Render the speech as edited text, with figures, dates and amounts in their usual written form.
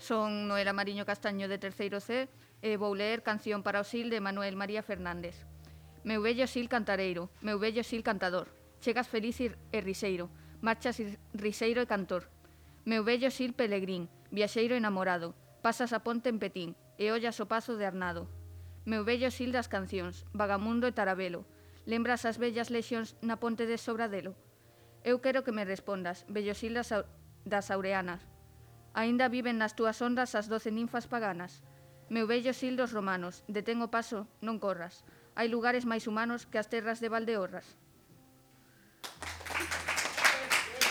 Son Noela Mariño Castaño de terceiro C e vou ler Canción para o Sil de Manuel María Fernández. Meu vello sil cantareiro, meu vello sil cantador, chegas feliz e riseiro, marchas riseiro e cantor. Meu vello sil pelegrín, viaxeiro enamorado, pasas a ponte en Petín e ollas o pazo de Arnado. Meu vello sil das cancións, vagamundo e tarabelo, lembras as vellas lexións na ponte de Sobradelo? Eu quero que me respondas, vello sil das Aureanas. Aínda viven nas túas ondas as 12 ninfas paganas. Meu vello sil dos romanos, detén o paso, non corras. Hai lugares máis humanos que as terras de Valdeorras.